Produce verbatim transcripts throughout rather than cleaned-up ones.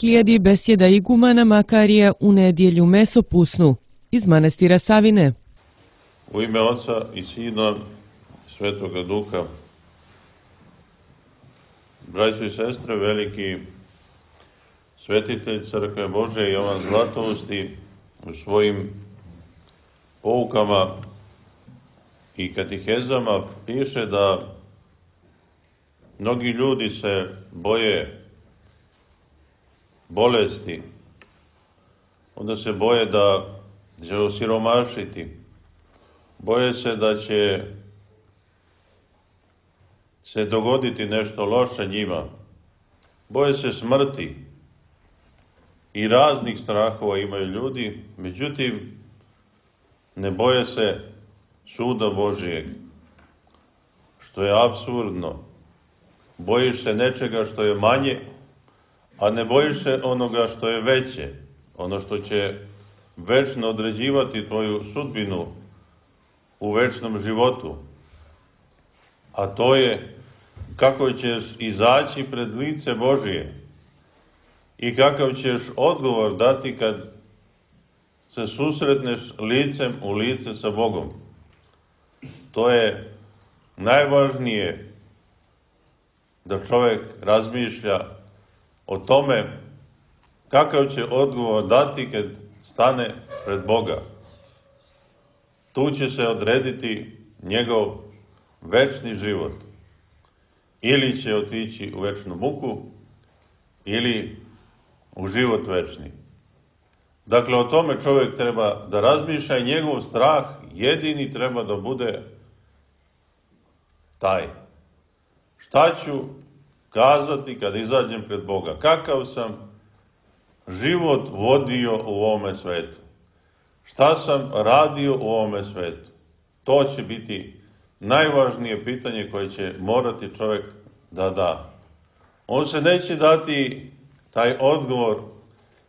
Slijedi besjeda igumana Makarija u nedjelju mesopusnu iz manastira Savine. U ime Oca i Sina Svetoga Duha. Braćo i sestre, veliki svetitelj Crkve Božje Jovan Zlatousti u svojim poukama i katehezama piše da mnogi ljudi se boje bolesti, onda se boje da će osiromašiti, boje se da će se dogoditi nešto loše njima, boje se smrti i raznih strahova imaju ljudi, međutim ne boje se suda Božijeg, što je apsurdno. Bojiš se nečega što je manje, a ne bojiš se onoga što je veće, ono što će večno određivati tvoju sudbinu u večnom životu. A to je kako ćeš izaći pred lice Božije i kakav ćeš odgovor dati kad se susretneš licem u lice sa Bogom. To je najvažnije, da čovjek razmišlja o tome kakav će odgovor dati kad stane pred Boga. Tu će se odrediti njegov večni život. Ili će otići u večnu muku, ili u život večni. Dakle, o tome čovjek treba da razmišlja i njegov strah jedini treba da bude taj. Šta ću kazati kad izađem pred Boga? Kakav sam život vodio u ovome svetu? Šta sam radio u ovome svetu? To će biti najvažnije pitanje koje će morati čovjek da da. On se neće dati taj odgovor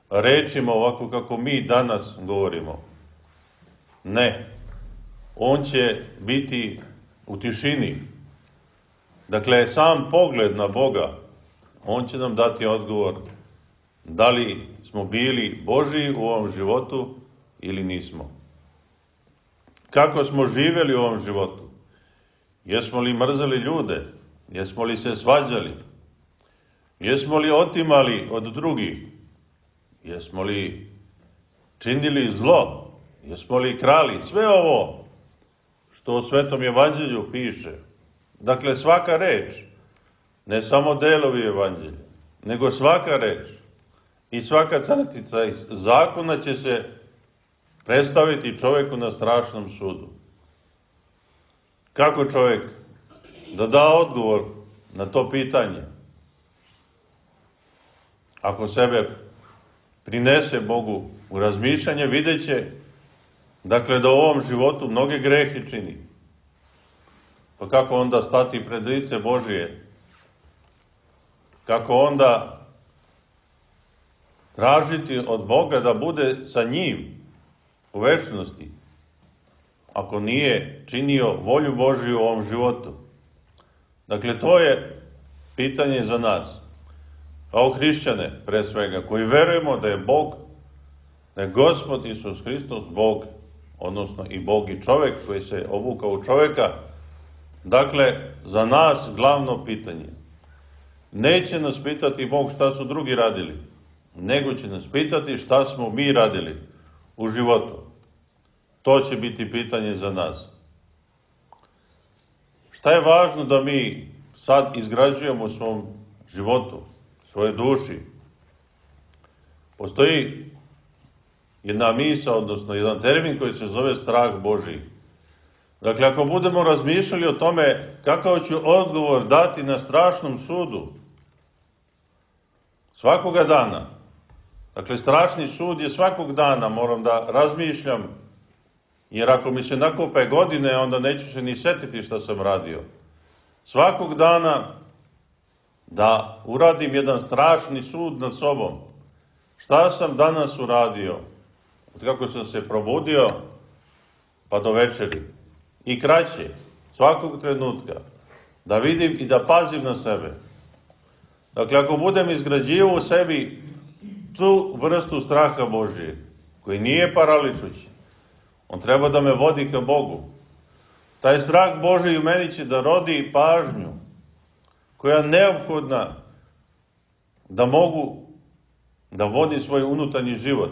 rečima ovako kako mi danas govorimo. Ne. On će biti u tišini. Dakle, sam pogled na Boga, on će nam dati odgovor da li smo bili Božiji u ovom životu ili nismo. Kako smo živjeli u ovom životu? Jesmo li mrzeli ljude? Jesmo li se svađali? Jesmo li otimali od drugih? Jesmo li činili zlo? Jesmo li krali? Sve ovo što u Svetom Evanđelju piše. Dakle, svaka reč, ne samo delovi Evanđelja, nego svaka reč i svaka crtica iz zakona će se predstaviti čovjeku na strašnom sudu. Kako čovjek da da odgovor na to pitanje? Ako sebe prinese Bogu u razmišljanje, vidjet će, dakle, da u ovom životu mnoge grehe čini. Pa kako onda stati pred lice Božije? Kako onda tražiti od Boga da bude sa njim u večnosti, ako nije činio volju Božiju u ovom životu? Dakle, to je pitanje za nas, kao hrišćane, pre svega, koji verujemo da je Bog, da je Gospod Isus Hristos Bog, odnosno i Bog i čovjek koji se obukao u čovjeka. Dakle, za nas glavno pitanje. Neće nas pitati Bog šta su drugi radili, nego će nas pitati šta smo mi radili u životu. To će biti pitanje za nas. Šta je važno da mi sad izgrađujemo u svom životu, svoje duši? Postoji jedna misa, odnosno jedan termin koji se zove strah Božiji. Dakle, ako budemo razmišljali o tome kakav ću odgovor dati na strašnom sudu, svakoga dana, dakle, strašni sud je svakog dana, moram da razmišljam, jer ako mi se nakope godine, onda neću se ni setiti šta sam radio. Svakog dana da uradim jedan strašni sud nad sobom. Šta sam danas uradio? Od kako sam se probudio, pa do večeri. I kraće, svakog trenutka, da vidim i da pazim na sebe. Dakle, ako budem izgrađivao u sebi tu vrstu straha Božije, koji nije paraličući. On treba da me vodi ka Bogu. Taj strah Božiji u meni će da rodi pažnju, koja je neophodna da mogu da vodim svoj unutarnji život.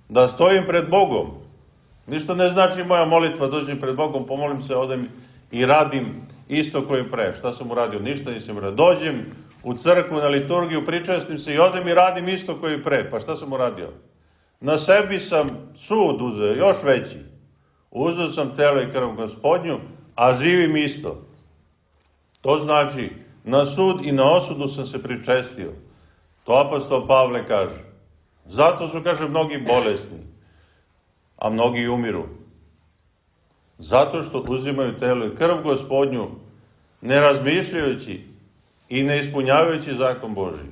Da stojim pred Bogom. Ništa ne znači moja molitva, dođem pred Bogom, pomolim se, odem i radim isto koji pre. Šta sam uradio? Ništa nisam uradio. Dođem u crkvu, na liturgiju, pričestim se i odem i radim isto koji pre. Pa šta sam uradio? Na sebi sam sud uzeo, još veći. Uzeo sam telo i krv Gospodnju, a živim isto. To znači, na sud i na osudu sam se pričestio. To apostol Pavle kaže. Zato su, kaže, mnogi bolesni, a mnogi umiru. Zato što uzimaju telo i krv Gospodnju, ne razmišljajući i ne ispunjavajući zakon Božji.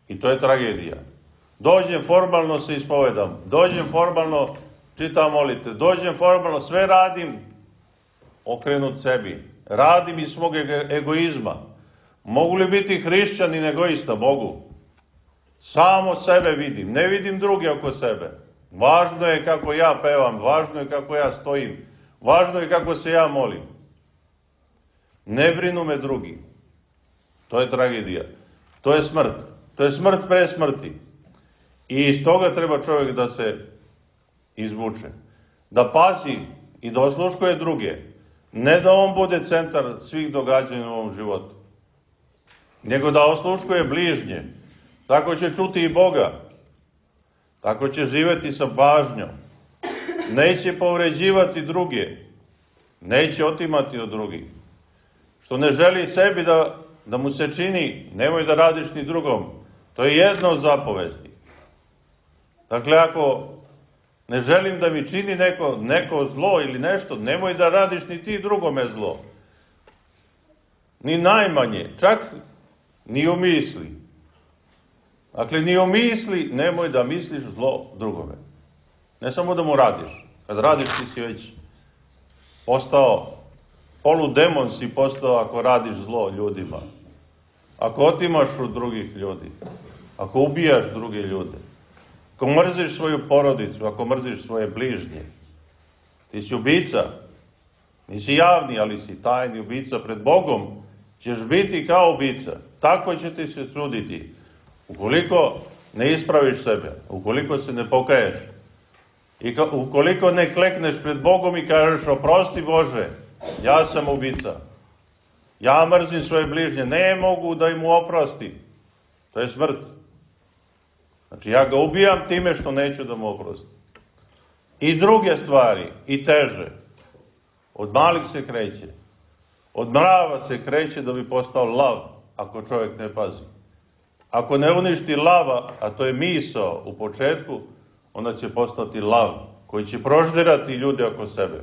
I to je tragedija. Dođem, formalno se ispovedam. Dođem, formalno čitam molite. Dođem, formalno sve radim, okrenut sebi. Radim iz svog egoizma. Mogu li biti hrišćanin egoista? Mogu. Samo sebe vidim. Ne vidim druge oko sebe. Važno je kako ja pevam. Važno je kako ja stojim. Važno je kako se ja molim. Ne brinu me drugi. To je tragedija. To je smrt. To je smrt pre smrti. I iz toga treba čovjek da se izvuče. Da pazi i da osluškuje druge. Ne da on bude centar svih događanja u ovom životu. Nego da osluškuje bližnje. Tako će čuti i Boga. Tako će živjeti sa pažnjom. Neće povređivati druge. Neće otimati od drugih. Što ne želi sebi da, da mu se čini, nemoj da radiš ni drugom. To je jedna od zapovesti. Dakle, ako ne želim da mi čini neko, neko zlo ili nešto, nemoj da radiš ni ti drugome zlo. Ni najmanje, čak ni u misli. Dakle, ni u misli nemoj da misliš zlo drugome. Ne samo da mu radiš. Kad radiš ti si već postao, poludemon si postao ako radiš zlo ljudima. Ako otimaš od drugih ljudi. Ako ubijaš druge ljude. Ako mrziš svoju porodicu, ako mrziš svoje bližnje. Ti si ubica. Nisi javni, ali si tajni ubica. Pred Bogom ćeš biti kao ubica. Tako će ti se suditi. Ukoliko ne ispraviš sebe, ukoliko se ne pokaješ, i ka, ukoliko ne klekneš pred Bogom i kažeš oprosti Bože, ja sam ubica, ja mrzim svoje bližnje, ne mogu da im oprosti, to je smrt. Znači ja ga ubijam time što neću da mu oprosti. I druge stvari, i teže, od malih se kreće, od mrava se kreće da bi postao lav, ako čovjek ne pazi. Ako ne uništi lava, a to je misao u početku, onda će postati lav, koji će proždirati ljude oko sebe.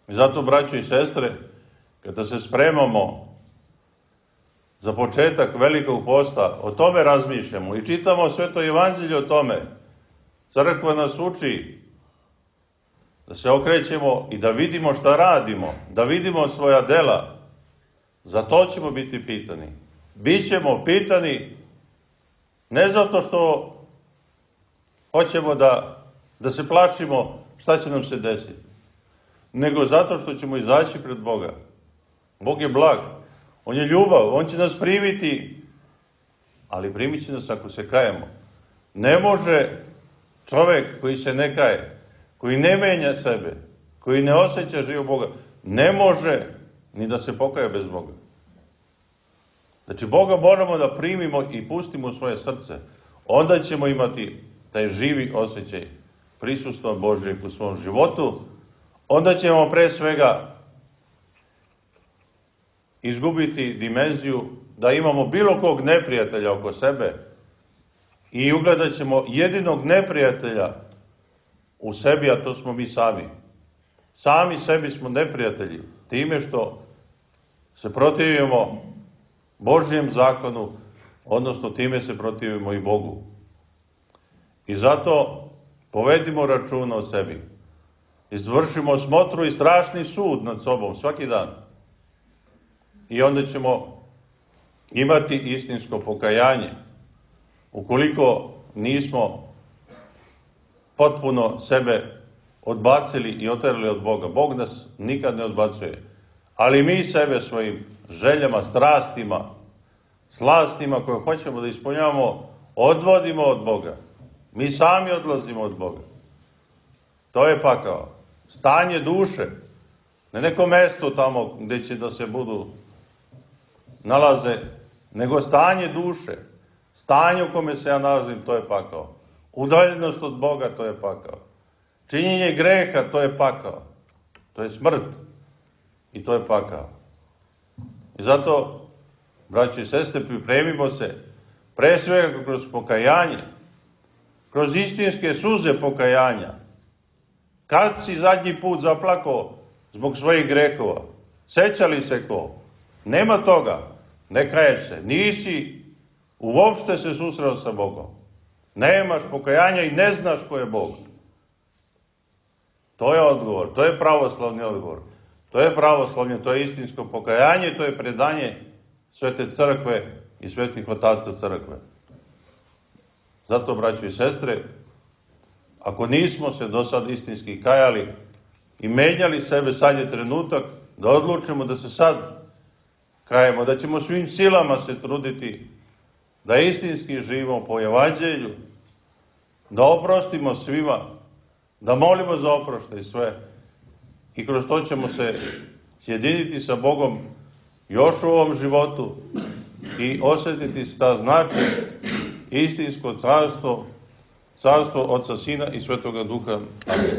I zato, braćo i sestre, kada se spremamo za početak velikog posta, o tome razmišljamo i čitamo Sveto evanđelje o tome. Crkva nas uči da se okrećemo i da vidimo šta radimo, da vidimo svoja dela. Za to ćemo biti pitani. Bićemo pitani ne zato što hoćemo da, da se plašimo šta će nam se desiti, nego zato što ćemo izaći pred Boga. Bog je blag, On je ljubav, On će nas primiti, ali primit će nas ako se kajemo. Ne može čovjek koji se ne kaje, koji ne menja sebe, koji ne osjeća živ Boga, ne može ni da se pokaje bez Boga. Znači, Boga moramo da primimo i pustimo u svoje srce. Onda ćemo imati taj živi osjećaj prisustva Božjeg u svom životu. Onda ćemo pre svega izgubiti dimenziju da imamo bilo kog neprijatelja oko sebe i ugledat ćemo jedinog neprijatelja u sebi, a to smo mi sami. Sami sebi smo neprijatelji, time što se protivimo Božjem zakonu, odnosno time se protivimo i Bogu. I zato povedimo računa o sebi. Izvršimo smotru i strašni sud nad sobom svaki dan. I onda ćemo imati istinsko pokajanje. ukoliko nismo potpuno sebe odbacili i oterali od Boga. Bog nas nikad ne odbacuje. Ali mi sebe svojim željama, strastima, slastima koje hoćemo da ispunjavamo, odvodimo od Boga. Mi sami odlazimo od Boga. To je pakao. Stanje duše. Ne neko mesto tamo gdje će da se budu nalaze, nego stanje duše. Stanje u kome se ja nalazim, to je pakao. Udaljenost od Boga, to je pakao. Činjenje greha, to je pakao. To je smrt. I to je pakao. I zato, braći i sestre, pripremimo se pre svega kroz pokajanje, kroz istinske suze pokajanja. Kad si zadnji put zaplakao zbog svojih grehova? Seća li se ko? Nema toga. Ne kaješ se. Nisi uopšte se susreo sa Bogom. Nemaš pokajanja i ne znaš ko je Bog. To je odgovor. To je pravoslavni odgovor. To je pravoslavlje, to je istinsko pokajanje, to je predanje Svete crkve i svetih otaca crkve. Zato, braćo i sestre, ako nismo se do sad istinski kajali i menjali sebe, sad je trenutak da odlučimo da se sad kajemo, da ćemo svim silama se truditi da istinski živimo po evanđelju, da oprostimo svima, da molimo za oproštaj sve. I kroz to ćemo se sjediniti sa Bogom još u ovom životu i osjetiti šta znači istinsko carstvo, carstvo Oca, Sina i Svetoga Duha. Amen.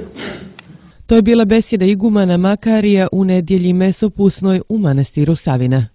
To je bila besjeda igumana Makarija u nedjelji mesopusnoj u manastiru Savina.